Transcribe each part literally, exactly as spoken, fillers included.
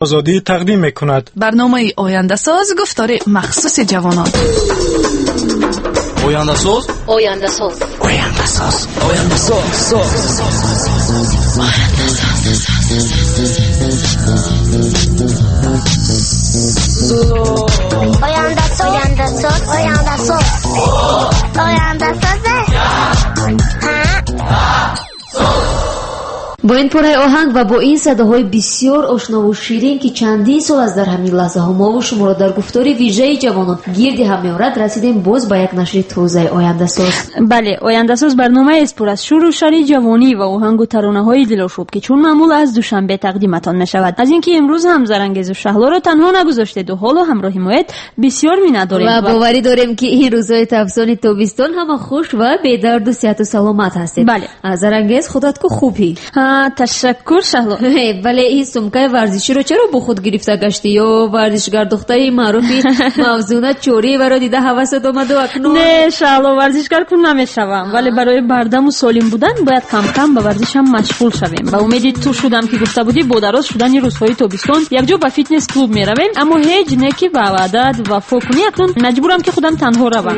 Озодӣ тақдим мекунад. Барномаи Ояндасоз, гуфтори махсуси ҷавонон. Ояндасоз, Ояндасоз, Ояндасоз, Ояндасоз, соз. Ояндасоз, Ояндасоз, Ояндасоз, Ояндасоз. Бо ин пораи оҳанг ва бо ин садоҳои бисёр ошнову ширин, ки чандин сол аст дар ҳамин лаҳзаҳо мову шуморо дар гуфтори вижаи ҷавонон гирди ҳам меорад, расидем боз ба як нашри тозаи Ояндасоз. Бале, Ояндасоз барномаест пур аз шӯру шари ҷавонӣ ва оҳангу таронаҳои дилошӯб, ки чун маъмул аз Душанбе тақдиматон мешавад. Аз ин ки имрӯз ҳам Зарангезу Шаҳлоро танҳо нагузоштеду ҳоло ҳамроҳи моед, бисёр миннатдорем ва боварӣ дорем, ки ин рӯзҳои тобистони тобистон ҳама хуш ва бедарду сиҳату саломат ҳастед. Бале, Зарангез, худат ку хубӣ? Ташаккур, Шаҳло. Вале ин сумкаи варзиширо чаро бо худ гирифта гаштӣ? Ё варзишгар духтари маъруфи Мавзуна Чориеваро дида ҳавасат омаду акнун? Не, Шаҳло, варзишгар кун намешавам, вале барои бардаму солим будан бояд камкам ба варзишам машғул шавем. Ба умеди ту шудам, ки гуфта будӣ бо дароз шудани рӯзҳои тобистон якҷо ба фитнес клуб меравем, аммо ҳеҷ не ки ба ваъдат вафо кунӣ, акнун маҷбурам, ки худам танҳо равам.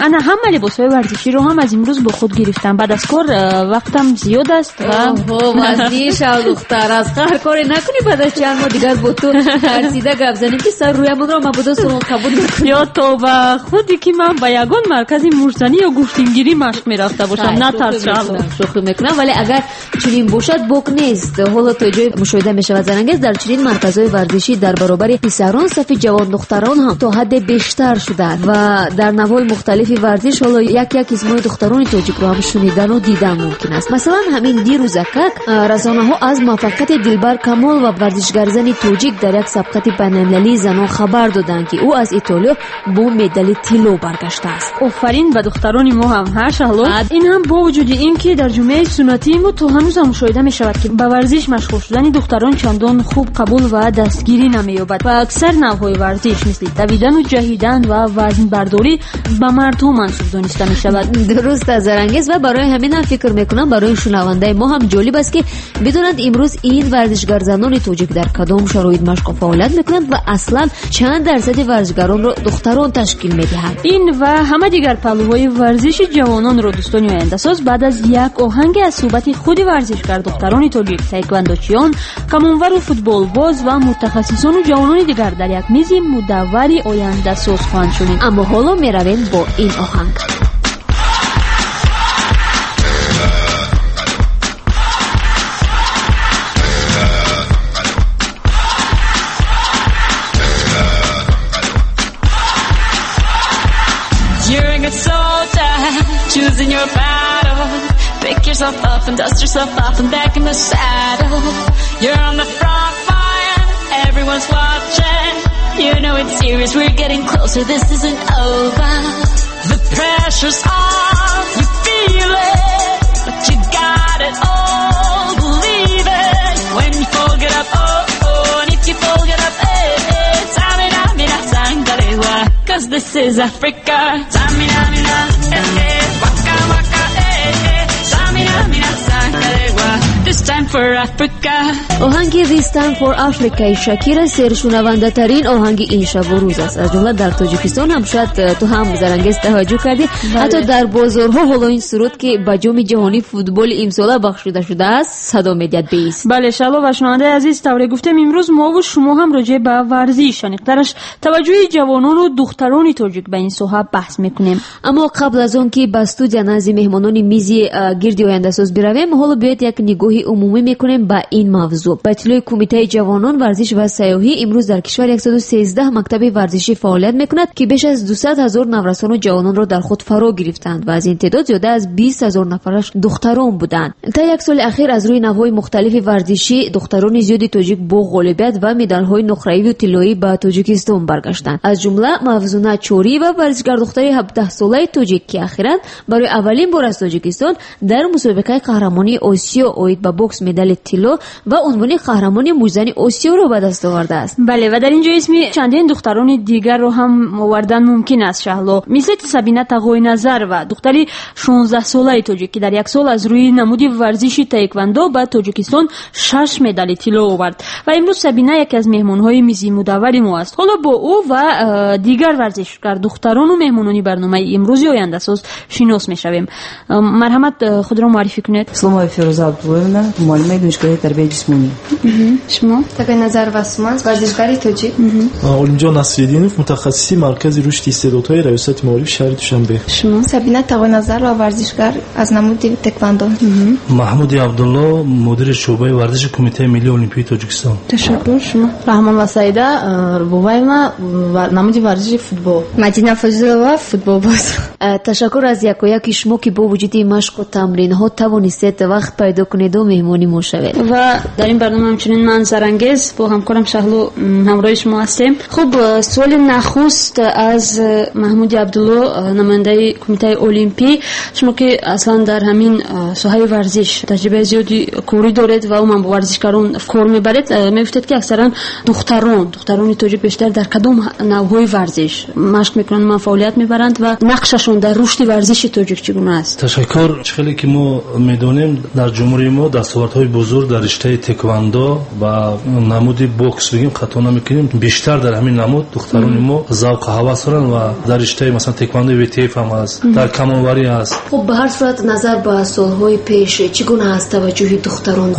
Ана ҳама либосҳои варзиширо ҳам аз имрӯз бо худ гирифтам. Баъд аз кор вақтам зиёд аст ва вазни шав, духтар, аз ҳар коре накунӣ, баъд аз чанд моҳ дигар бо ту тарсида гап занем, ки сар рӯямонро мабодо суғон қабул накунӣ. Ё то ба худе ки ман ба ягон маркази муштзанӣ ё гӯштингирӣ машқ мерафта бошам. Натарс, Шаҳло. Шӯхӣ мекунам, вале агар чунин бошад, бок нест. Ҳоло то ҷое мушоҳида мешавад, Зарангез, дар чунин марказҳои варзишӣ дар баробари писарон сафи ҷавондухтарон ҳам то ҳадде бештар шуданд ва дар навъҳои мухталифи варзиш ҳоло як як исмҳои духтарони тоҷикро ҳам шунидану дидан мумкин аст. Масалан, ҳамин дирӯзакак расонаҳо аз муваффақияти Дилбар Камол ва варзишгарзани тоҷик дар як сабқати байналмилалии занон хабар доданд, ки ӯ аз Итолиё бо медали тилло баргаштааст. Офарин ба духтарони мо ҳам, ҳа Шаҳло? Ин ҳам бо вуҷуди ин ки дар ҷомеаи суннатии мо то ҳанӯзам мушоҳида мешавад, ки ба варзиш машғул шудани духтарон чандон хуб қабул ва дастгирӣ намеёбад ва аксар навъҳои варзиш мисли давидану ҷаҳидан ва вазнбардорӣ ба мардҳо мансуб дониста мешавад. Дуруст аст, Зарангез, ва барои ҳамин ҳам фикр мекунам, барои шунавандаи мо ҳам ҷолиб аст, ки бидонанд имрӯз ин варзишгарзанони тоҷик дар кадом шароит машқу фаъолият мекунанд ва аслан чанд дарсади варзишгаронро духтарон ташкил медиҳанд. Ин ва ҳама дигар паҳлӯҳои варзиши ҷавононро дӯстони Ояндасоз баъд аз як оҳанге аз суҳбати худи варзишгар духтарони тоҷик, таеквондочиён, камонвару футболбоз ва мутахассисону ҷавонони дигар дар як мизи мудаввари Ояндасоз хоҳанд шунид. Аммо ҳоло меравем бо ин оҳанг. Choosing your battle, pick yourself up and dust yourself off and back in the saddle. You're on the front line, everyone's watching. You know it's serious, we're getting closer, this isn't over. The pressure's on, you feel it, but you got it all, believe it. When you fall, get up, oh, oh, and if you fall, get up, eh, eh. Tamina, mina, sangalewa, cause this is Africa. Tamina, mina, eh, eh. This time for Africa. Оҳанги This Time for Africa Шакира сершунавандатарин оҳанги ин шабу рӯз аст. Аз ҷумла дар Тоҷикистон ҳам шояд ту ҳам, Зарангез, таваҷҷӯҳ кардӣ, ҳатто дар бозорҳо ҳоло ин суруд, ки ба ҷоми ҷаҳонии футболи имсола бахшида шудааст, садо медиҳад беист. Бале, Шаҳло ва шунавандаи азиз, тавре гуфтем, имрӯз мову шумо ҳам роҷеъ ба варзиш, аниқтараш таваҷҷӯҳи ҷавонону духтарони тоҷик ба ин соҳа баҳс мекунем. Аммо қабл аз он ки ба студия назди меҳмонони мизи гирди Ояндасоз биравем, ҳоло биёед як нигоҳи умумӣ мекунем ба ин мавзӯъ. Ба иттилои Кумитаи ҷавонон, варзиш ва сайёҳӣ, имрӯз дар кишвар яксаду сездаҳ мактаби варзишӣ фаъолият мекунад, ки беш аз дусад ҳазор наврасону ҷавононро дар худ фаро гирифтанд ва аз ин теъдод зиёда аз бист ҳазор нафараш духтарон буданд. Та як соли ахир аз рӯи навъҳои мухталифи варзишӣ духтарони зиёди тоҷик бо ғолибият ва медалҳои нуқраиву тиллоӣ ба Тоҷикистон баргаштанд. Аз ҷумла Мавзуна Чориева, варзишгардухтари ҳабдаҳсолаи тоҷик, ки ахиран барои аввалин бор аз Тоҷикистон дар мусобиқаи қаҳрамонии Осиё оид ба бокс медали тилло ва унвони қаҳрамони муҷзани Осиёро ба даст овардааст. Бале, ва дар ин ҷо исми чандин духтарони дигарро ҳам овардан мумкин аст, Шаҳло. Мисли Сабина Тағойназарова, духтари шонздаҳсолаи тоҷик, ки дар як сол аз рӯи намуди варзиши таеквондо ба Тоҷикистон шаш медали тилло овард. Ва имрӯз Сабина яке аз меҳмонҳои мизи мудаввари мо аст. Ҳоло бо ӯ ва дигар варзишгар духтарону меҳмонони барномаи имрӯзи ояндасоз шинос мешавем. Марҳамат, худро муаррифӣ кунед. Исломова Фирӯза Абдуллоевна, муаллимаи донишгоҳи тарбияи ҷисмонӣ. Шумо? Тағойназарова Суман, варзишгари тоҷик. Олимҷон Насриддинов, мутахассиси маркази рушди истеъдодҳои раёсати маориф шаҳри Душанбе. Шумо? Сабина Тағойназарова, варзишгар аз намуди тэквондо. Маҳмуди Абдулло, мудири шӯъбаи варзиши Кумитаи миллии олимпии Тоҷикистон. Ташаккур. Шумо? Раҳмонова Саида Буваевна, намуди варзиши футбол. Мадина Фозилова, футболбоз. Ташаккур аз якояки шумо, ки бо вуҷуди машқу тамринҳо тавонистед вақт пайдо кунеду меҳмони мо шавед. Ва дар ин барнома ҳамчунин ман Зарангез бо ҳамкорам Шаҳло ҳамроҳи шумо ҳастем. Хуб, суоли нахуст аз Маҳмуди Абдулло, намояндаи Кумитаи олимпӣ. Шумо ки аслан дар ҳамин соҳаи варзиш таҷрибаи зиёди корӣ доред ва умуман бо варзишгарон кор мебаред, мегуфтед ки аксаран духтарон, духтарони тоҷик бештар дар кадом навъҳои варзиш машқ мекунанд, ман фаъолият мебаранд ва нақшашон дар рушди варзиши тоҷик чӣ гуна аст? Ташаккур. Чӣ хеле ки мо медонем, дар ҷумҳурии мо дастовардҳои бузург дар риштаи тэквондо ва намуди бокс бигем хато намекунем, бештар дар ҳамин намуд духтарони мо завқу ҳавас доранд ва дар риштаи масалан тэквондои вэ тэ эф ҳам аст, дар камонварӣ аст. Хуб, ба ҳар сурат назар ба солҳои пеш чӣ гуна аст таваҷҷӯҳи духтарон?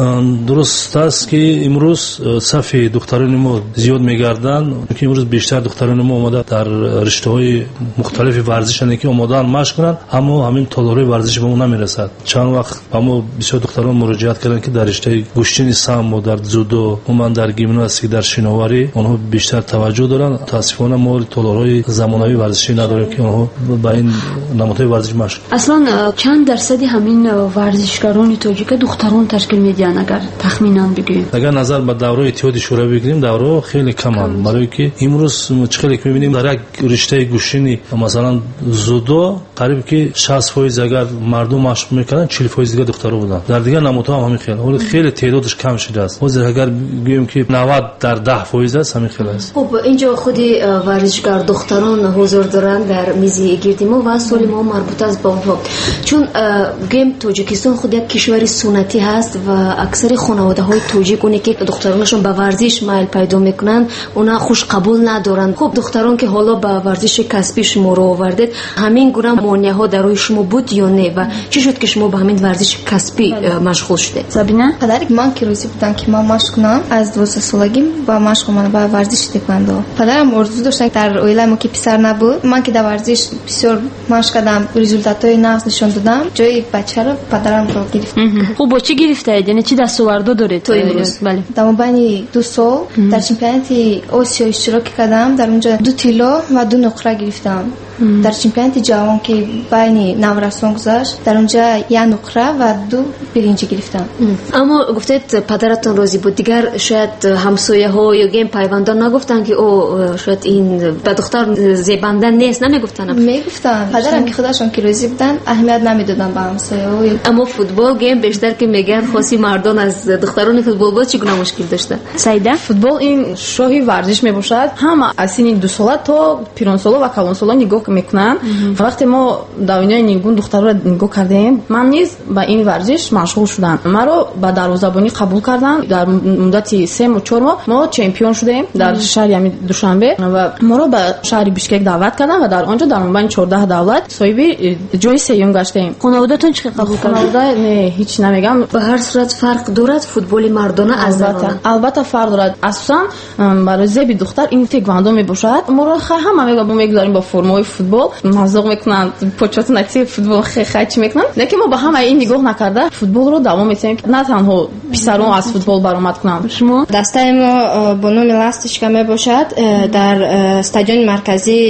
Дуруст аст, ки имрӯз сафи духтарони мо зиёд мегарданд, ки имрӯз бештар духтарони мо омода дар риштаҳои мухталифи варзишанд, ки омодаанд машқ кунанд, аммо ҳамин толорҳои варзиши ба мо намерасад. Чанд вақт ба мо бисёр духтарон муроҷиат карданд, ки дар риштаи гӯштини самбо, дар дзюдо, умуман дар гимнастика, дар шиноварӣ онҳо бештар таваҷҷӯҳ доранд. Мутаассифона мо толорҳои замонавии варзишӣ надорем, ки онҳо ба ин намудҳои варзиш машқ. Аслан чанд дарсади ҳамин варзишгарони тоҷика духтарон ташкил медиҳанд, агар тахминан бигӯем? Агар назар ба давраи Иттиҳоди Шӯравӣ бигирем, давраҳо хеле каманд, барои ки имрӯз чӣ хеле ки мебинем, дар як риштаи гӯштини масалан дзюдо қариб ки шаст фоиз агар мардум машқ мекарданд, чил фоиз дигар духтаро буданд. Дар дигар намудҳо ҳам ҳамин хел. Ҳоло хеле теъдодаш кам шудааст. Ҳозир агар гӯем ки навад дар даҳ фоиз аст, ҳамин хел аст. Хуб, инҷо худи варзишгар духтарон ҳузур доранд дар мизи гирди мо ва суоли мо марбут аст ба онҳо. Чун гӯем Тоҷикистон худ як кишвари суннатӣ ҳаст ва аксари хонаводаҳои тоҷик, оне ки духтаронашон ба варзиш майл пайдо мекунанд, она хушқабул надоранд. Хуб, духтарон ки ҳоло ба варзиши касбӣ шуморо овардед, ҳамин гуна монеаҳо дар рӯи шумо буд ё не ва чӣ шуд ки шумо ба ҳамин варзиши касбӣ машғул шудед? Сабина? Падари ман ки розӣ буданд, ки ман машқ кунам, аз дувоздаҳсолагӣ ба машқ омадам ба варзиши тэквондо. Падарам орзу доштанд, дар оилаи мо ки писар набуд, ман ки дар варзиш бисёр машқ кардам, результатҳои нағз нишон додам, ҷои бачаро падарамро гирифт. Хуб, бо чӣ гирифтаед? Яъне чӣ дастовардҳо доред то имрӯз? Бале. Дар мобайни ду сол дар чемпионати Осиё иштирок кардам, дар онҷо ду тилло ва ду нуқра гирифтам. Дар чемпионати ҷаҳон, ки байни наврасон гузашт, дар онҷо як нуқра ва ду биринҷӣ гирифтам. Аммо гуфтед падаратон розӣ буд, дигар шояд ҳамсояҳо ё гем пайвандон нагуфтанд, ки о шояд ин ба духтар зебанда нест, намегуфтанд? Мегуфтанд. Падарам ки худашон ки розӣ буданд, аҳамият намедоданд ба ҳамсояҳо. Аммо футбол гем бештар ки мегӯянд хоси мардон аз духтарони футболбоз чӣ гуна мушкил дошта? Саида? Футбол ин шоҳи варзиш мебошад. Ҳама аз синни дусола то пиронсола ва калонсола нигоҳ мекунанд. Вақте мо дар дунёи нигун духтарро нигоҳ кардем, ман низ ба ин варзиш машғул шудам. Маро ба дарвозабонӣ қабул карданд. Дар муддати се моҳ чор моҳ мо чемпион шудем дар шаҳри ҳамин Душанбе ва моро ба шаҳри Бишкек даъват карданд ва дар он ҷо дар мобайни чордаҳ давлат соҳиби ҷои сеюм гаштем. Хонаводатон чӣ қабул карданд? Хонавода не, ҳеҷ намегам. Ба ҳар сурат фарқ дорад футболи мардона аз занона? Албатта фарқ дорад. Асосан барои зеби духтар ин тэквондо мебошад. Моро ҳама мегузарем бо формаҳои футбол, мазоқ мекунанд, почоту натиҷаи футбол хе чӣ мекунанд. Лекин мо ба ҳамаи ин нигоҳ накарда футболро давом медиҳем, на танҳо писарон аз футбол баромад кунанд. Шумо? Дастаи мо бо номи Ласточка мебошад, дар стадиони марказии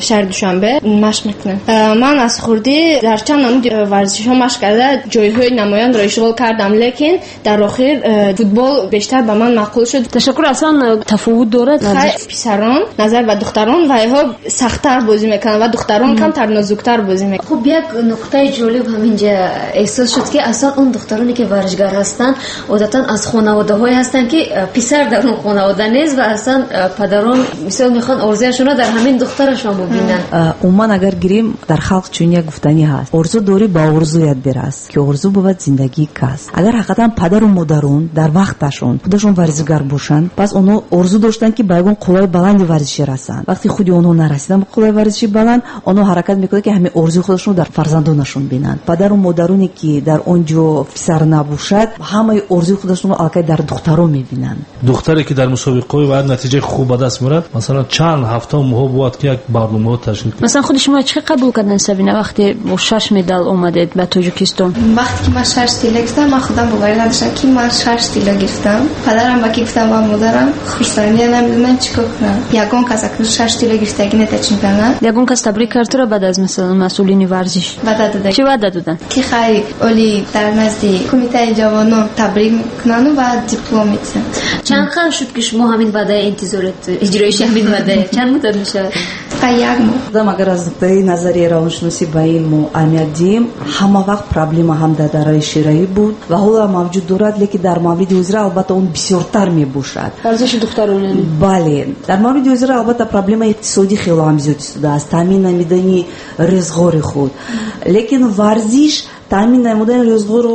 шаҳри Душанбе машқ мекунем. Ман аз хурдӣ дар чанд намуди варзишҳо машқ карда ҷойҳои намоёнро ишғол кардам, лекин дар охир футбол бештар ба ман маъқул шуд. Ташаккур. Аслан тафовут дорад? Писарон назар ба духтарон вайҳо сахттар бозӣ мекунанд ва духтарон камтар нозуктар бозӣ мекунанд. Хуб, як нуқтаи ҷолиб ҳаминҷа эҳсос шуд, ки аслан он духтароне ки варзишгар ҳастанд, одатан аз хонаводаҳое ҳастанд, ки писар дар он хонавода нест ва аслан падарон мисол мехоҳанд орзуяшонро дар ҳамин духтарашон бубинанд. Умуман агар гирем, дар халқ чунин як гуфтанӣ ҳаст: орзу дорӣ, ба орзуят бирас, ки орзу бувад зиндагии кас. Агар ҳақиқатан падару модарон дар вақташон худашон варзишгар бошанд, пас онҳо орзу доштанд, ки ба ягон қуллаи баланди варзишӣ расанд. Вақти худи онҳо нарасиданд ба қуллаи варзиши баланд, онҳо ҳаракат мекунанд, ки ҳамин орзуи худашонро дар фарзандонашон бинанд. Падару модароне, ки дар он ҷо писар набошад, ҳамаи орзуи худашонро аллакай дар духтарон мебинанд. Духтаре, ки дар мусобиқаҳои бояд натиҷаи хуб ба даст меорад, масалан чанд ҳафта моҳ бояд ки як барномаҳо ташкил кунад. Масалан худи шумо чӣ қабул карданд, Сабина, вақте бо шаш медал омадед ба Тоҷикистон? Вақте ки ман шаш тилло гирифтам, ман худам боварӣ надоштам, ки ман шаш тилло гирифтам. Падарам ба ки гуфтам ва модарам хурсандия намедонанд чӣ кор кунам. Ягон кас акнун шаш тилло гирифтагӣ нета чемпионат. Ягон кас табрик кард туро баъд аз масалан масъулини варзиш? Ваъда доданд. Чӣ ваъда доданд? Ки хай оли дар назди кумитаи ҷавонон табрик мекунанд ва диплом медиҳанд. Чанд хел шуд, ки шумо ҳамин ваъдаи интизорат, иҷроиши ҳамин ваъдае чанд муддат мешавад? Фақат як моҳ. Худам агар аз нуқтаи назари равоншиносӣ ба ин мо аҳамият диҳем, ҳама вақт проблема ҳам дар дараи шираӣ буд ва ҳоло мавҷуд дорад, лекин дар мавриди ҳозира албатта он бисёртар мебошад. Варзиши духтарон яъне? Бале, дар мавриди ҳозира албатта проблемаи иқтисодӣ хело ҳам зиёд истодааст, таъмин намудани рӯзғори худ. Лекин варзиш таъмин намудани рӯзғорро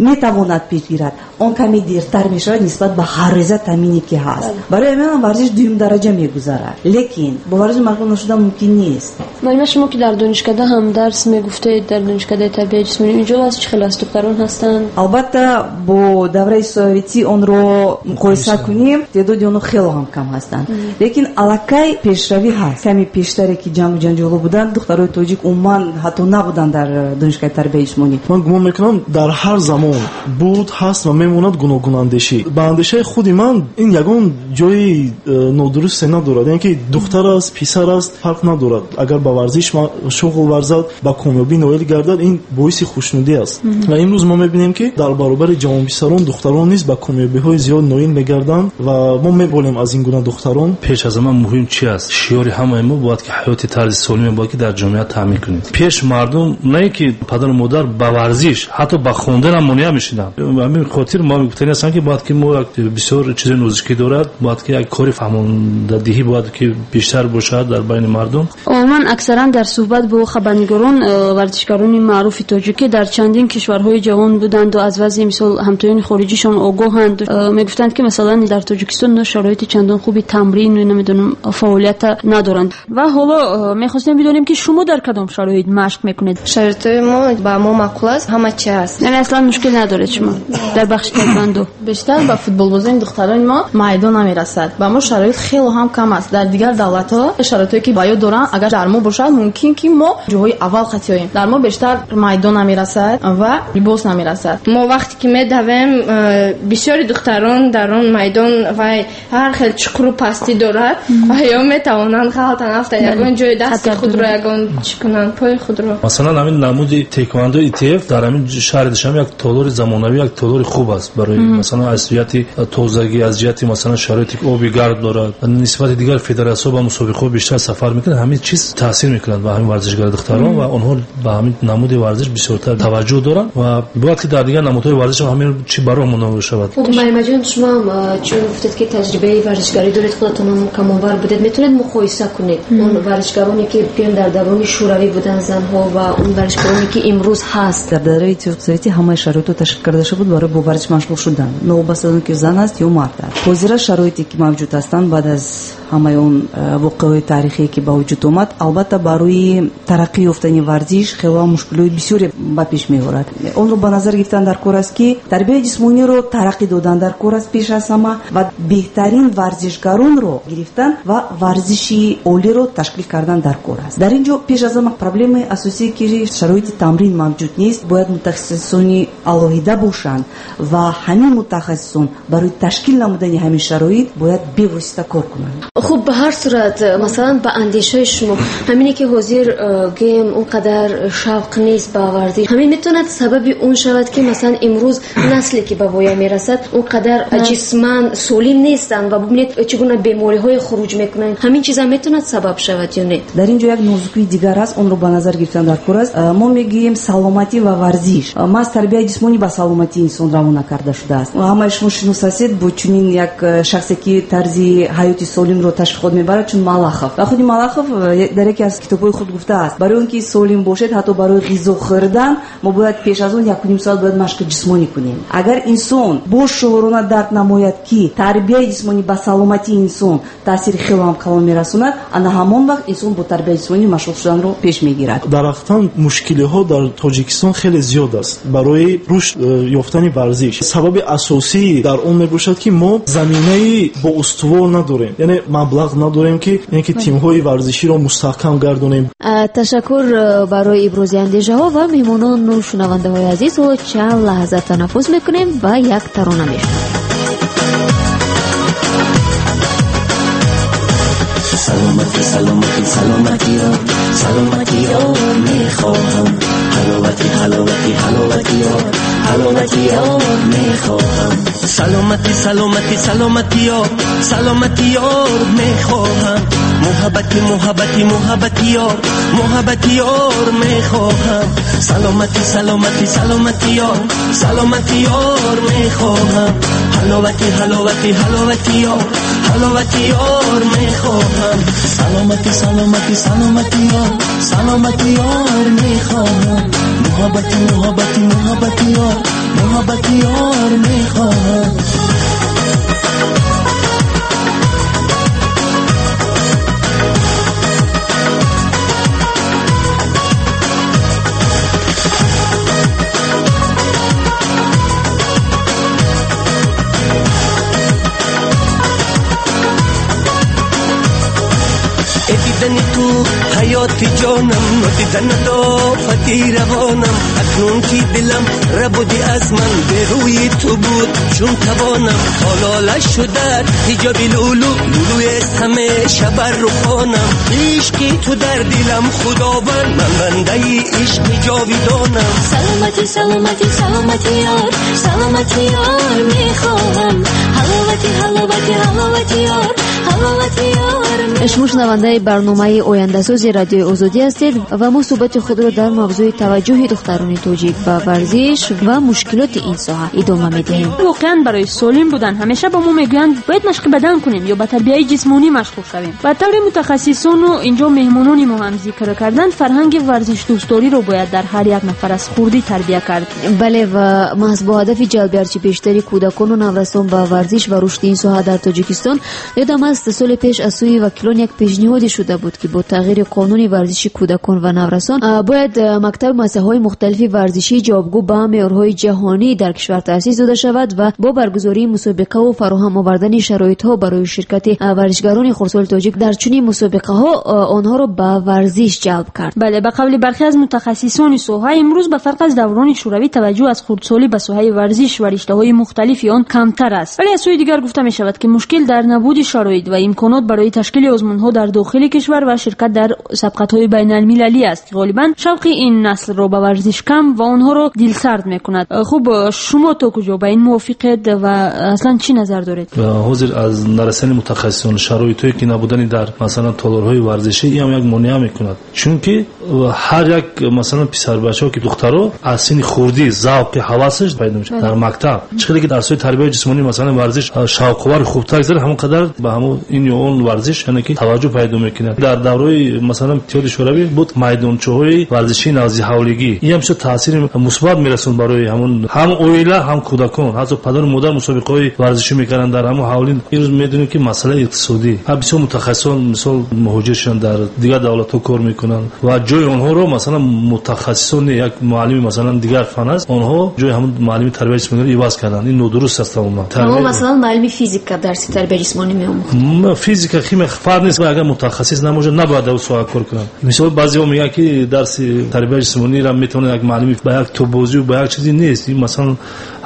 метавонад пеш гирад, он каме дертар мешавад нисбат ба ҳаррӯза таъмине ки ҳаст. Барои ҳамин варзиш дуюм дараҷа мегузарад, лекин бо варзиш машғул нашудан мумкин нест. Маълума, шумо ки дар донишкада ҳам дарс мегуфтед, дар донишкадаи тарбияи ҷисмонӣ, инҷо аз чӣ хел аст? Духтарон ҳастанд? Албатта бо давраи советӣ онро муқоиса кунем, теъдоди онҳо хело ҳам кам ҳастанд, лекин аллакай пешравӣ ҳаст. Каме пештаре ки ҷангу ҷанҷоло буданд, духтарои тоҷик умуман ҳатто набуданд дар донишгоҳи тарбияи ҷисмонӣ. Ман гумон мекунам дар ҳар замон буд, ҳаст ва мемонад гуногунандешӣ. Ба андешаи худи ман ин ягон ҷои нодурусте надорад, яъне ки духтар аст, писар аст, фарқ надорад. Агар ба варзиш шуғл варзад, ба комёбӣ ноил гардад, ин боиси хушнудӣ аст. Ва имрӯз мо мебинем, ки дар баробари ҷавонписарон духтарон низ ба комёбиҳои зиёд ноил мегарданд ва мо меболем аз ин гуна духтарон. Пеш аз ҳама муҳим чи аст? Шиёри ҳамаи мо бояд ки ҳаёти тарзи солиме бояд ки дар ҷомеа таъмин кунем. Пеш мардум на ин ки падару модар ба варзиш, ҳатто ба хондан ҳам монеа мешиданд. Ба ҳамин хотир мо гуфтанӣ ҳастем, ки бояд ки мо як бисёр чизи нозукӣ дорад, бояд ки як кори фаҳмондадиҳӣ бояд ки бештар бошад дар байни мардум. Умуман аксаран дар суҳбат бо хабарнигорон варзишгарони маъруфи тоҷикӣ дар чандин кишварҳои ҷаҳон буданд ва аз вазъи мисол ҳамтоёни хориҷишон огоҳанд. Мегуфтанд, ки масалан дар Тоҷикистон шароити чандон хуби тамрин ва намедонам фаъолията надоранд. Ва ҳоло мехостем бидонем, ки шумо дар кадом шароит машқ мекунед? Шароити мо ба мо маъқул аст, ҳама чи ҳаст. Яъне аслан мушкил надоред шумо дар бахши таеквондо? Бештар ба футболбозони духтарони мо майдон намерасад. Ба мо шароит хело ҳам кам аст. Дар дигар давлатҳо шароитое ки ба ёд доранд, агар дар мо бошад, мумкин ки мо ҷоҳои аввал қатиёем. Дар мо бештар майдон намерасад ва либос намерасад. Мо вақте ки медавем, бисёри духтарон дар он майдон вай ҳар хел чуқуру пастӣ дорад ва ё метавонанд ғалтан афтанд, ягон ҷои дасти худро, ягон чӣ кунанд, пои худро. Масалан ҳамин намуди таеквондо И Т Ф дар ҳамин шаҳри Душанбе як толори замонавӣ, як толори хуб аст барои масалан аз ҷиҳати тозагӣ, аз ҷиҳати масалан шароити оби гарм дорад. Нисбати дигар федератсияҳо ба мусобиқаҳо бештар сафар мекунанд, ҳамин чиз таъсир мекунад ба ҳамин варзишгари духтарон ва онҳо ба ҳамин намуди варзиш бисёртар таваҷҷӯҳ доранд ва бояд ки дар дигар намудҳои варзиш ҳам ҳамин чи бароҳ монда шавад. Хуб, Маримаҷон, шумо ҳам чун гуфтед, ки таҷрибаи варзишгарӣ доред, худатон ҳам камонвар будед, метавонед муқоиса кунед он варзишгароне, ки гӯем дар даврони шӯравӣ буданд занҳо, ва он варзишгароне, ки имрӯз ҳаст? Дар давраи Иттиҳоди Советӣ ҳамаи шароитҳо ташкил карда шуда буд барои бо варзиш машғул шудан, новобаста аз он ки зан аст ё мард аст. Ҳозира шароите ки мавҷуд ҳастанд баъд аз ҳамаи он воқеаҳои таърихие ки ба вуҷуд омад, албатта барои тараққӣ ёфтани варзиш хело мушкилиҳои бисёре ба пеш меорад. Онро ба назар гирифтан дар кор аст, ки тарбияи ҷисмониро тараққӣ додан дар кор аст пеш аз ҳама ва беҳтарин варзишгаронро гирифтан ва варзиши олиро ташкил кардан дар кор аст. Дар ин ҷо пеш аз ҳама проблемаи асосие ки шароити тамрин мавҷуд нест, бояд мутахассисони алоҳида бошанд ва ҳамин мутахассисон барои ташкил намудани ҳамин шароит бояд бевосита кор кунанд. Хуб, ба ҳар сурат, масалан, ба андешаи шумо ҳамине ки ҳозир гӯем он қадар шавқ нест ба варзиш, ҳамин метавонад сабаби он шавад ки масалан имрӯз насле ки ба воя мерасад он қадар ҷисман солим нестанд ва бубинед чӣ гуна бемориҳои хуруҷ мекунанд. Ҳамин чиза метавонад сабаб шавад ё не? Дар ин ҷо як нозукии дигар аст, онро ба назар гирифтан даркор аст. Мо мегӯем саломатӣ ва варзиш. Маҳз тарбияи ҷисмонӣ ба саломатии инсон равона карда шудааст. Ҳамаи шумо шинос ҳастед бо чунин як шахсе ки тарзи ҳаёти солимро ташвиқот мебарад, чун Малахов. Ва худи Малахов дар яке аз китобҳои худ гуфтааст, барои он ки солим бошед, ҳатто барои ғизо хӯрдан мо бояд пеш аз он якуним соат бояд машқи ҷисмонӣ кунем. Агар инсон бошуурона дарк намояд, ки тарбияи ҷисмонӣ ба саломатии инсон таъсири хеле ҳам калон мерасонад, ана ҳамон вақт инсон бо тарбияи ҷисмонӣ машғул шуданро пеш мегирад. Дар ҳақиқат мушкилиҳо дар Тоҷикистон хеле зиёд аст барои рушд ёфтани варзиш. Сабаби асосӣ дар он мебошад, ки мо заминаи боустувор надорем, яъне маблағ надорем, ки яъне ки тимҳои варзиширо мустаҳкам гардонем. Ташаккур барои ибрози андешаҳо ва меҳмонону шунавандаҳои азиз. Ҳоло чанд лаҳза танаффус мекунем ва як тарона мешунавем. Саломатӣ, саломатӣ, саломатиро, саломатиро мехоҳам. Ҳаловатӣ, ҳаловатӣ, ҳаловатиро, ҳаловатиро мехоҳам. Саломатӣ, саломатӣ, саломатиро, саломатиро мехоҳам. Муҳаббатӣ, муҳаббатӣ, муҳаббатиро, муҳаббатиро мехоҳам. Саломатӣ, саломатӣ, саломатиро, саломатиро мехоҳам. Ҳаловатӣ, ҳаловатӣ, ҳаловатиро, ҳаловатиро мехоҳам. Саломатӣ, саломатӣ, саломатиро, саломатиро мехоҳам. Муҳаббатӣ, муҳаббатӣ, муҳаббатиро, муҳаббатиро мехоҳам. Дидани ту ҳаёти ҷонам, дидан дофати равонам. Акнун ки дилам рабуди аз ман, ба рӯи ту буд чун тавонам. Ҳолола шудат ҳиҷоби лулу, лулӯи ҳамеша бар рухонам. Ишқи ту дар дилам худованд, ман бандаи ишқи ҷовидонам. Саломатӣ, саломатӣ, саломатӣ ёр, саломатӣ ёр мехоҳам. Ҳаловатӣ, ҳаловатӣ, ҳаловатӣ ёр, ҳаловатӣ ёр. Шумо шунавандаи барномаи ояндасози радиои Озодӣ ҳастед ва мо суҳбати худро дар мавзӯи таваҷҷӯҳи духтарони тоҷик ба варзиш ва мушкилоти ин соҳа идома медиҳем. Воқеан барои солим будан ҳамеша ба мо мегӯянд бояд машқи бадан кунем ё ба тарбияи ҷисмонӣ машғул шавем. Ба таври мутахассисону инҷо меҳмонони мо ҳам зикр карданд, фарҳанги варзишдӯстдориро бояд дар ҳар як нафар аз хурдӣ тарбия кард. Бале, ва маҳз бо ҳадафи ҷалби ҳарчи бештари кӯдакону наврасон ба варзиш ва рушди ин соҳа дар Тоҷикистон, ёдам аст соли пеш аз сӯи вакилон як пешниҳоде шуда буд, ки бо тағйири қонуни варзиши кӯдакон ва наврасон бояд мактаб муассисаҳои мухталифи варзишӣ ҷавобгӯ ба меъёрҳои ҷаҳонӣ дар кишвар таъсис дода шавад ва бо баргузории мусобиқаву фароҳам овардани шароитҳо барои ширкати варзишгарони хурдсоли тоҷик дар чунин мусобиқаҳо онҳоро ба варзиш ҷалб кард. Бале, ба қавли бархе аз мутахассисони соҳа имрӯз ба фарқ аз даврони шӯравӣ таваҷҷӯҳ аз хурдсолӣ ба соҳаи варзиш ва риштаҳои мухталифи он камтар аст. Вале аз сӯи дигар гуфта мешавад, ки мушкил дар набуди шароит ва имконот барои ташкили озмунҳо дар дохили кишвар ва ширкат дар сабқатҳои байналмилалӣ аст, ки ғолибан шавқи ин наслро ба варзиш кам ва онҳоро дилсард мекунад. Хуб, шумо то куҷо ба ин мувофиқед ва аслан чӣ назар доред? Ҳозир аз нарасани мутахассисон, шароитҳое ки набудани дар масалан толорҳои варзишӣ, ин ҳам як монеа мекунад, чунки ҳар як масалан писарбачаҳо ки духтаро аз синни хурдӣ завқи ҳавасаш пайдо мешавад дар мактаб. Чӣ қадар ки дарсҳои тарбияи ҷисмонӣ масалан варзиш шавқовар хубтар гузарад, ҳамон қадар ба ҳамон ин ё он варзиш яъне ки таваҷҷӯҳ пайдо мекунад. Дар давраи масалан Иттиҳоди Шӯравӣ буд майдончаҳои варзишии наздиҳавлигӣ. Ин ҳам бисёр таъсири мусбат мерасонд барои ҳамон ҳам оила ҳам кӯдакон. Ҳатто падару модар мусобиқаҳои варзишӣ мекарданд дар ҳамон ҳавлӣ. Имрӯз медонем ки масъалаи иқтисодӣ, ҳам бисёр мутахассисон мисол муҳоҷир шуданд, дар дигар давлатҳо кор мекунанд ва ҷои онҳоро масалан мутахассисони як муаллими масалан дигар фан аст, онҳо ҷои ҳамон муаллими тарбияи ҷисмониро иваз карданд. Ин нодуруст аст тамоман. Аммо масалан муаллими физика дарси тарбияи ҷисмонӣ меомӯхт. Физика, химия фарқ нест, агар мутахассис набошад, набояд дар соҳа кор кунад. Мисол баъзеҳо мегӯянд, ки дарси тарбияи ҷисмониро метавонад як муаллим ба як тобозӣ ва ба як чизе нест. Ин масалан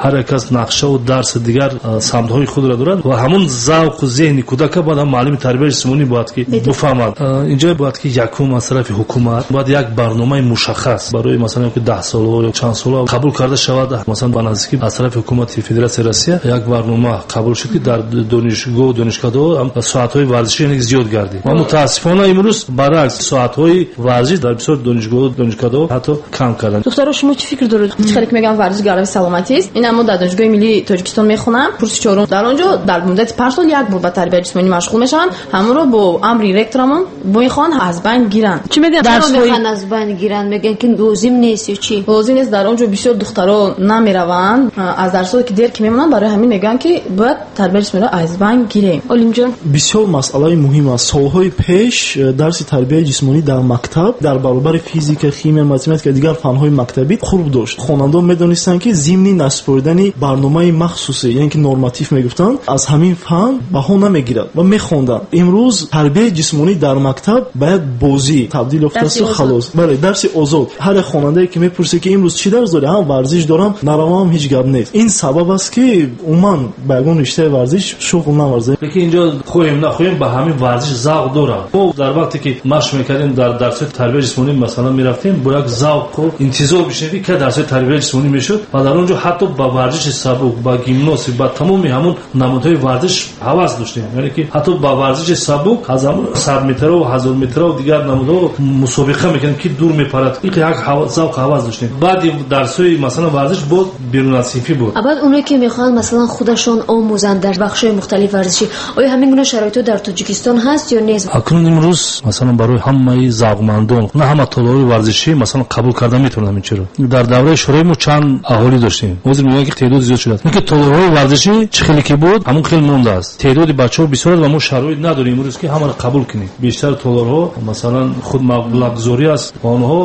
ҳар як кас нақша ва дарси дигар самтҳои худро дорад ва ҳамон завқу зеҳни кӯдака бояд ҳам муаллими тарбияи ҷисмонӣ бояд ки бифаҳмад. Инҷо бояд ки якум аз тарафи ҳукумат бояд як барномаи мушаххас барои масалан ки даҳ солаҳо ё чанд солаҳо қабул карда шавад. Масалан ба наздикӣ аз тарафи ҳукумати Федератсияи Россия як барнома қабул шуд, ки дар донишгоҳ донишкадаҳо соатҳои варзишӣ яъне зиёд гардид. Ва мутаассифона имрӯз баръакс соатҳои варзиш дар бисёр донишгоҳ донишкадаҳо ҳатто кам карданд. Духтаро, шумо чӣ фикр доред? Чӣ хеле ки мегӯям, варзиш гарави саломатӣ аст. Ин мо дар Донишгоҳи миллии Тоҷикистон мехонам, курси чорум. Дар он ҷо дар муддати панҷ сол як бор ба тарбияи ҷисмонӣ машғул мешаванд. Ҳамонро бо амри ректорамон мехоҳанд аз байн гиранд. Чӣ мегӯянд? Дарсҳои аз байн гиранд, мегӯянд ки лозим нест ё чӣ? Лозим нест. Дар он ҷо бисёр духтаро намераванд, аз дарсҳое ки дер ки мемонанд, барои ҳамин мегӯянд ки бояд тарбияи ҷисмониро аз байн гирем. Олимҷон, бисёр масъалаи муҳим аст. Солҳои пеш дарси тарбияи ҷисмонӣ дар мактаб дар баробари физика, химия, математика дигар фанҳои мактабӣ хурб дошт. Хонандагон медонистанд, ки зимни насупоридани барномаи махсусе, яъне ки норматив мегуфтанд, аз ҳамин фан баҳо намегирад ва мехонданд. Имрӯз тарбияи ҷисмонӣ дар мактаб ба як бозӣ табдил ёфтааст ва халос. Бале, дарси озод. Ҳар як хонандае ки мепурсад, ки имрӯз чӣ дарс дорӣ? Ҳам варзиш дорам, наравам, ҳеҷ гап нест. Ин сабаб аст, ки умуман ба ягон риштаи варзиш шуғл наварзад. Лекин инҷо хоҳем нахоҳем ба ҳамин варзиш завқ дорам. Мо дар вақте ки машқ мекардем дар дарсҳои тарбияи ҷисмонӣ масалан мерафтем, бо як завқу интизор мешудем, ки кай дарсҳои тарбияи ҷисмонӣ мешуд ва дар он ҷо ҳатто ба варзиши сабук, ба гимнастика, ба тамоми ҳамон намудҳои варзиш ҳавас доштем. Яъне ки ҳатто ба варзиши сабук аз ҳамон сад метру ҳазор метру дигар намудҳо мусобиқа мекардем, ки дур мепарад. Ин як завқ ҳавас доштем. Баъди дарсҳои масалан варзиш боз берун аз синфӣ буд. Баъд онҳое ки мехоҳанд масалан худашон омӯзанд дар бахшҳои мухталиф варзишӣ, оё ҳамин гуна шароитҳо дар Тоҷикистон ҳаст ё нест? Акнун имрӯз масалан барои ҳамаи завқмандон, на ҳама толорҳои варзишӣ масалан қабул карда метавонанд ин чиро. Дар давраи шӯравӣ мо чанд аҳолӣ доштем, ҳозир мегӯянд ки теъдод зиёд шудааст. Инки толорҳои варзишӣ чӣ хеле ки буд, ҳамон хел мондааст. Теъдоди бачаҳо бисёр аст ва мо шароит надорем имрӯз ки ҳамаро қабул кунем. Бештар толорҳо масалан худ маблағгузорӣ аст ва онҳо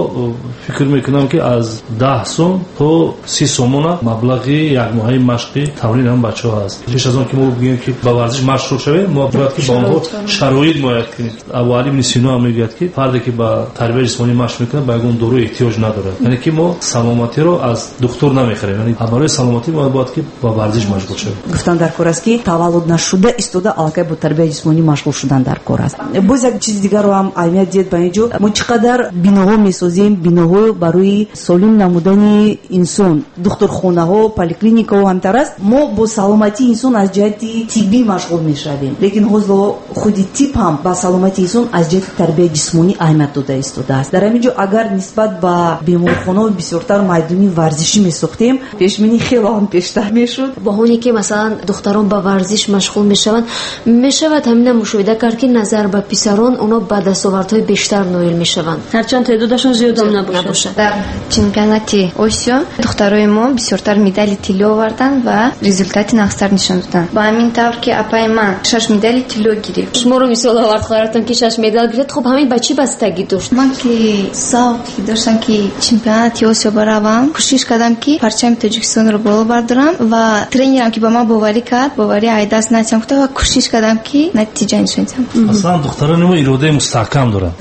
фикр мекунанд, ки аз даҳ сом то си сомона маблағи якмоҳаи машқи тамрин ҳам бачаҳо аст. Пеш аз он ки мо бигӯем ки ба варзиш машғул шавем, мо бояд ки ба онҳо шароит муҳайё кунем. Абӯалӣ ибни Сино ҳам мегӯяд, ки фарде ки ба тарбияи ҷисмонӣ машқ мекунад, ба ягон дору эҳтиёҷ надорад. Яъне ки мо саломатиро аз духтур намехарем. Яъне барои саломатӣ мо бояд ки ба варзиш машғул шавем. Гуфтан дар кор аст, ки таваллуд нашуда истода аллакай бо тарбияи ҷисмонӣ машғул шудан дар кор аст. Боз як чизи дигарро ҳам аҳамият диҳед ба ин ҷо. Мо чӣ қадар биноҳо месозем, биноҳо барои солим намудани инсон, духтурхонаҳо, поликлиникаҳо ҳамтар аст. Мо бо саломатии инсон аз ҷиҳати тиббӣ машғул мешавем, лекин ҳозир худи тиб ҳам ба саломатии инсон аз ҷиҳати тарбияи ҷисмонӣ аҳамият дода истодааст. Дар ҳамин ҷо агар нисбат ба беморхонаҳо бисёртар майдони варзишӣ месохтем, пешбинӣ хеле ҳам пештар мешуд. Бо оне ки масалан духтарон ба варзиш машғул мешаванд, мешавад ҳамина мушоҳида кард, ки назар ба писарон онҳо ба дастовардҳои бештар ноил мешаванд, ҳарчанд теъдодашон зиёдам набошад. Дар чемпионати Осиё духтарои мо бисёртар медали тилло оварданд ва результати нағзтар нишон доданд. Ба ҳамин тавр ки апаи ман шаш медали тилло гирифт. Шуморо мисол овард хоҳаратон ки шаш медал гирифт. Хуб, ҳамин ба чӣ бастагӣ дошт? Ман ки завқи доштам, ки чемпионати Осиё баравам, кӯшиш кардам, ки парчами Тоҷикистонро боло бардорам ва тренерам ки ба ман боварӣ кард, боварӣ айдаст натиҳам гуфта ва кӯшиш кардам, ки натиҷа нишон диҳам. Аслан духтарони мо иродаи мустаҳкам доранд,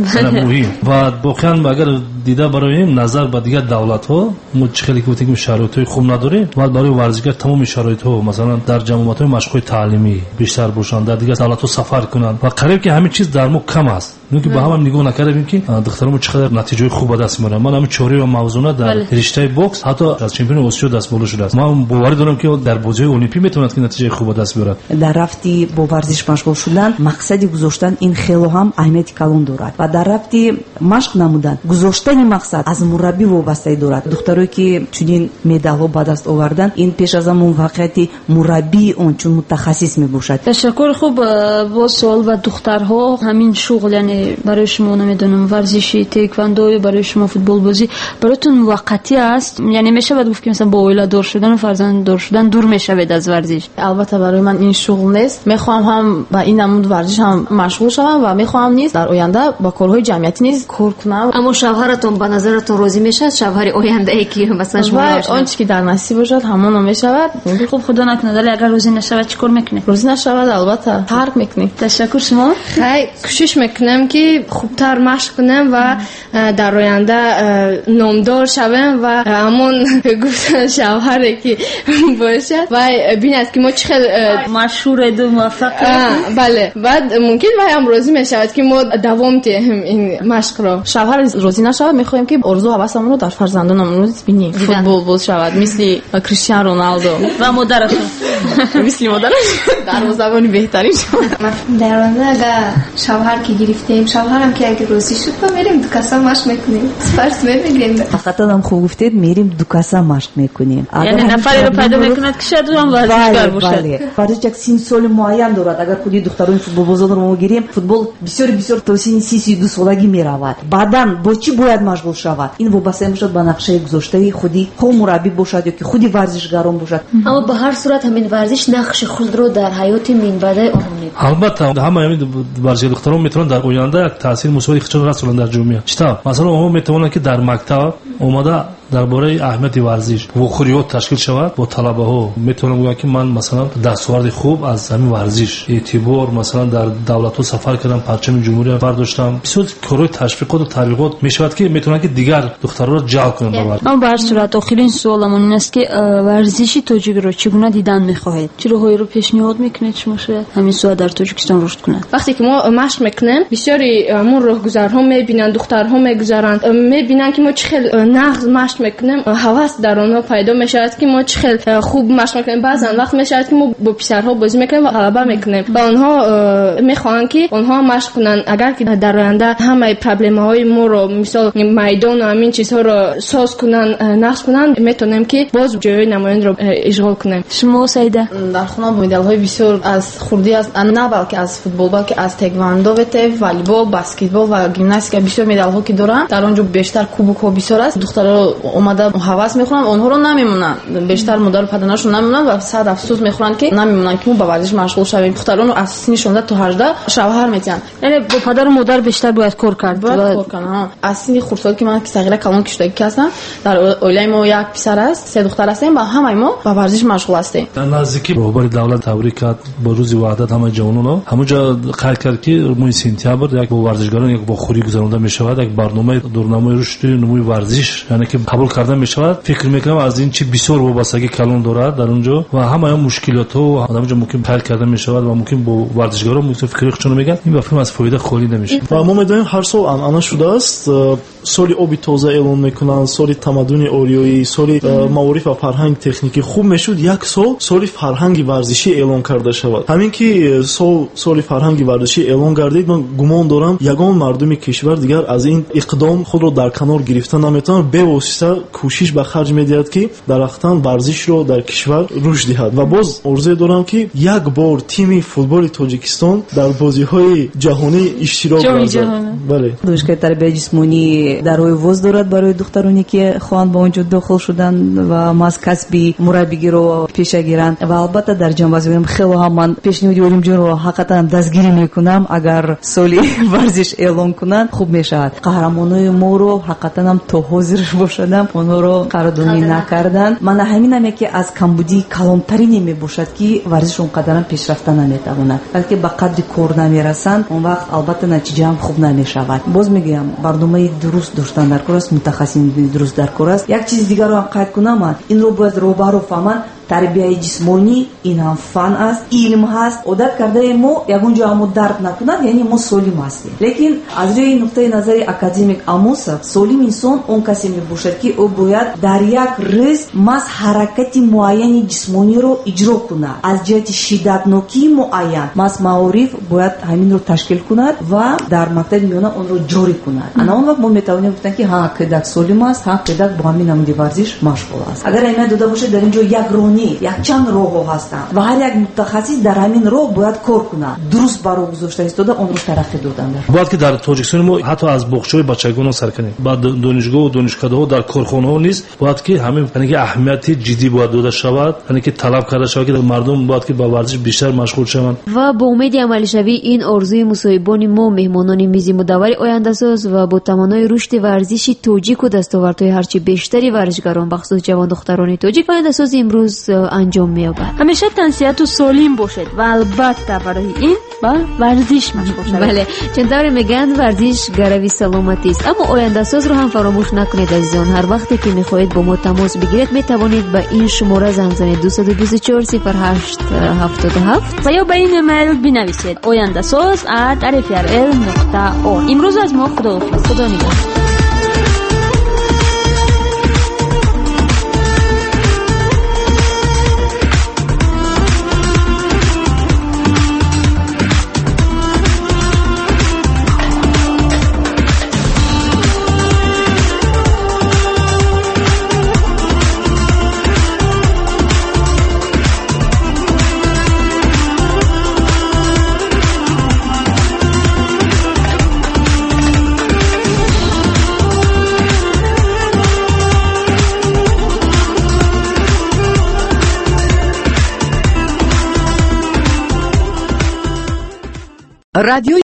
муҳим. Ва воқеан агар дида бароем назар ба дигар давлатҳо, мо чӣ хеле ки гуфтем шароитҳои хуб надорем, бояд барои варзишгар тамоми шароитҳо, масалан дар ҷамоатҳои машқҳои таълимӣ бештар бошанд, дар дигар давлатҳо сафар кунанд ва қариб ки ҳамин чиз дар мо кам аст. Нуки ба ҳама нигоҳ накардем, ки духтарони мо чӣ қадар натиҷаҳои хуб ба даст меоранд. Ман ҳамин чораи ва мавзуна дар риштаи бокс ҳатто аз чемпиони Осиё даст боло шудааст. Ман боварӣ дорам, ки дар бозиҳои олимпӣ метавонад ки натиҷаи хуб ба даст биёрад. Дар рафти бо варзиш машғул шудан мақсади гузоштан ин хело ҳам аҳамияти калон дорад ва дар рафти машқ намудан гузоштани мақсад аз мураббӣ вобастагӣ дорад. Духтарое ки чунин медалҳо ба даст овардан, ин пеш аз ҳама муваффақияти мураббии он чун мутахассис мебошад. Ташаккур. Хуб, боз суол ба духтарҳо. Ҳамин шуғл, яъне Яъне барои шумо намедонам варзиши тэквондо ё барои шумо футболбозӣ бароятон муваққатӣ аст? Яъне мешавад гуфт ки масалан бо оиладор шудан ва фарзанддор шудан дур мешавед аз варзиш? Албатта барои ман ин шуғл нест. Мехоҳам ҳам ба ин намуд варзиш ҳам машғул шавам ва мехоҳам низ дар оянда ба корҳои ҷамъиятӣ низ кор кунам. Аммо шавҳаратон ба назаратон розӣ мешавад? Шавҳари ояндае ки масалан шумо он чи ки дар насиб бошад ҳамоно мешавад. Хуб, худо накунад, вале агар розӣ нашавад чӣ кор мекунед? Розӣ нашавад албатта тарк мекунем. Ташаккур. Шумо? Хай, кӯшиш мекунам ки хубтар машқ кунам ва дар оянда номдор шавам ва ҳамон гуфтан шавҳаре ки бошад ва бинад ки мо чӣ хел машҳур ду муваффақ. Бале, баъд мумкин вай ҳам розӣ мешавад ки мо давом диҳем ин машқро. Шавҳар розӣ нашавад, мехоҳем ки орзу ҳавасамонро дар фарзандонамон бинем. Футболбоз шавад мисли Криштиану Роналдо ва модараш. Мисли модараш дарвозабони беҳтарин шавад. Дар оянда агар шавҳар ки гирифтем, шавҳарам ки агар розӣ шуд, мо мерем ду каса машқ мекунем, спарс мегирем. Ҳақиқатан ҳам хуб гуфтед, мерем ду каса машқ мекунем. Яъне нафареро пайдо мекунад ки шояд ӯ ҳам варзишгар бошад. Варзиш як синни соли муайян дорад. Агар худи духтарони футболбозонро мо гирем, футбол бисёр бисёр то синни си си ду солагӣ меравад. Баъдан бо чӣ бояд машғул шавад? Ин вобаста мешавад ба нақшаи гузоштаи худи хо мураббӣ бошад ё ки худи варзишгарон бошад. Аммо ба ҳар сурат ҳамин варзиш нақши худро дар ҳаёти минбаъдаи онҳо мебозад. Албатта ҳамаи ҳамин варзишгар духтарон метавонанд дар оянда як таъсири мусбати худро расонанд дар ҷомеа. Чӣ тавр? Масалан онҳо метавонанд ки дар мактаб омада дар бораи аҳамияти варзиш вохӯриҳо ташкил шавад бо талабаҳо. Метавонам гӯям ки ман масалан дастоварди хуб аз ҳамин варзиш эътибор масалан дар давлатҳо сафар кардам, парчами ҷумҳурия бардоштам. Бисёр корҳои ташвиқоту тарғибот мешавад ки метавонанд ки дигар духтарҳоро ҷалб кунанд ба варзиш. Аммо ба ҳар сурат охирин суоламон ин аст ки варзиши тоҷикро чӣ гуна дидан мехоҳед? Чӣ роҳҳоеро пешниҳод мекунед шумо шояд ҳамин суол дар Тоҷикистон рушд кунад? Вақте ки мо машқ мекунем, бисёри ҳамон роҳгузарҳо мебинанд, духтарҳо мегузаранд, мебинанд ки мо чӣ хел нағз машқ мекунем, ҳавас дар онҳо пайдо мешавад ки мо чӣ хел хуб машқ мекунем. Баъзан вақт мешавад ки мо бо писарҳо бозӣ мекунем ва ғалаба мекунем ва онҳо мехоҳанд ки онҳо машқ кунанд. Агар ки дар оянда ҳамаи проблемаҳои моро, мисол майдон ва ҳамин чизҳоро соз кунанд, нақш кунанд, метавонем ки боз ҷойҳои намоёнро ишғол кунем. Шумо Саида? Дар хона медалҳои бисёр аз хурдӣ аз на балки аз футбол, балки аз тэквондо, волейбол, баскетбол ва гимнастика бисёр медалҳо ки дорам. Дар он ҷо бештар кубокҳо бисёр аст. Духтарҳо омада ҳавас мехӯранд, онҳоро намемонанд. Бештар модару падарашон намемонанд ва сад афсӯс мехӯранд ки намемонанд ки мо ба варзиш машғул шавем. Духтаронро аз синни шонздаҳ то ҳаждаҳ шавҳар метиҳанд. Яъне бо падару модар бештар бояд кор кард. Бояд кор кард. Аз синни хурдсол ки ман сағира калон ки шудагӣ ҳастам, дар оилаи мо як писар аст, се духтар ҳастем ва ҳамаи мо ба варзиш машғул ҳастем. Дар наздикӣ роҳбари давлат табрик кард бо рӯзи ваҳдат ҳамаи ҷавононро. Ҳамонҷо қайд кард ки моҳи сентябр як бо варзишгарон як вохӯрӣ гузаронда мешавад, як барномаи дурнамои рушди нумӯи варзиш, яъне ки қабул карда мешавад. Фикр мекунам аз ин чи бисёр вобастагӣ калон дорад дар он ҷо ва ҳамаи он мушкилотҳо дар он ҷо мумкин ҳал карда мешавад ва мумкин бо варзишгарон мумкин фикри худшонро мегӯянд. Ин ба фикр аз фоида холӣ намешавад. Ва мо медонем ҳар сол анъана шудааст, соли оби тоза эълон мекунанд, соли тамаддуни ориёӣ, соли маориф ва фарҳанги техникӣ. Хуб мешуд як сол соли фарҳанги варзишӣ эълон карда шавад. Ҳамин ки сол соли фарҳанги варзишӣ эълон гардид, ман гумон дорам ягон мардуми кишвар дигар аз ин иқдом худро дар канор гирифта наметавонад, бевосита кӯшиш ба харҷ медиҳад ки дар ҳақиқатан варзишро дар кишвар рушд диҳад. Ва боз орзуе дорам ки як бор тими футболи Тоҷикистон дар бозиҳои ҷаҳонӣ иштирок варзад. Бале. Донишгоҳи тарбияи ҷисмонӣ дарҳои воз дорад барои духтароне ки хоҳанд ба он ҷо дохил шудан ва маҳз касби мураббигиро пеша гиранд. Ва албатта дар ҷанбаз мегӯям хело ҳам ман пешниҳоди Олимҷонро ҳақиқатан дастгирӣ мекунам. Агар соли варзиш эълон кунанд хуб мешавад. Қаҳрамонои моро ҳақиқатан ҳам то ҳозир бошадам онҳоро қадрдонӣ накарданд. Мана ҳамин ҳам яке аз камбудии калонтарине мебошад ки варзиш он қадарам пешрафта наметавонад. Балки ба қадри кор намерасанд, он вақт албатта натиҷа ҳам хуб намешавад. Боз мегӯям барномаи дуруст доштан дар кор аст, мутахассисини дуруст дар кор аст. Як чизи дигарро ҳам қайд кунам, ман инро бояд роҳбаро фаҳманд. Тарбияи ҷисмонӣ ин ҳам фан аст, илм ҳаст. Одат кардаи мо ягон ҷо ҳамо дард накунад, яъне мо солим ҳастем. Лекин аз рӯи нуқтаи назари академик Амосов, солим инсон он касе мебошад ки ӯ бояд дар як рӯз маҳз ҳаракати муайяни ҷисмониро иҷро кунад. Аз ҷиҳати шиддатнокии муайян маҳз маориф бояд ҳаминро ташкил кунад ва дар мактаби миёна онро ҷорӣ кунад. Ана он вақт мо метавонем гуфтан ки ҳа кӯдак солим аст, ҳа кӯдак бо ҳамин намуди варзиш машғул аст. Агар аҳамият дода бошад, дар ин ҷо як роҳ Не, якчанд роҳҳо ҳастанд ва ҳар як мутахассис дар ҳамин роҳ бояд кор кунад, дуруст ба роҳ гузошта истода онро тараққӣ додан. Бояд ки дар Тоҷикистони мо ҳатто аз боғчаҳои бачагона сар кунем, ба донишгоҳу донишкадаҳо, дар корхонаҳо низ бояд ки ҳамин яъне ки аҳамияти ҷиддӣ бояд дода шавад, яъне ки талаб карда шавад ки мардум бояд ки ба варзиш бештар машғул шаванд. Ва бо умеди амалишавии ин орзуи мусоҳибони мо, меҳмонони мизи мудаввари ояндасоз ва бо таманнои рушди варзиши тоҷику дастовардҳои ҳарчи бештари варзишгарон, бахусус ҷавондухтарони тоҷик, ояндасоз имрӯз анҷом меёбад. Ҳамеша тансиҳату солим бошед ва албатта барои ин ба варзиш машғул шавед. Бале, чун тавре мегӯянд, варзиш гарави саломатист. Аммо ояндасозро ҳам фаромӯш накунед, азизон. Ҳар вақте ки мехоҳед бо мо тамос бигиред, метавонед ба ин шумора занг занед: дусаду бисту чор сифр ҳашт ҳафтоду ҳафт ва ё ба ин имейл бинависед: ояндасоз at r f r l нуқта org. Имрӯз аз мо худоҳофиз. Худо нигаҳдор. Радио.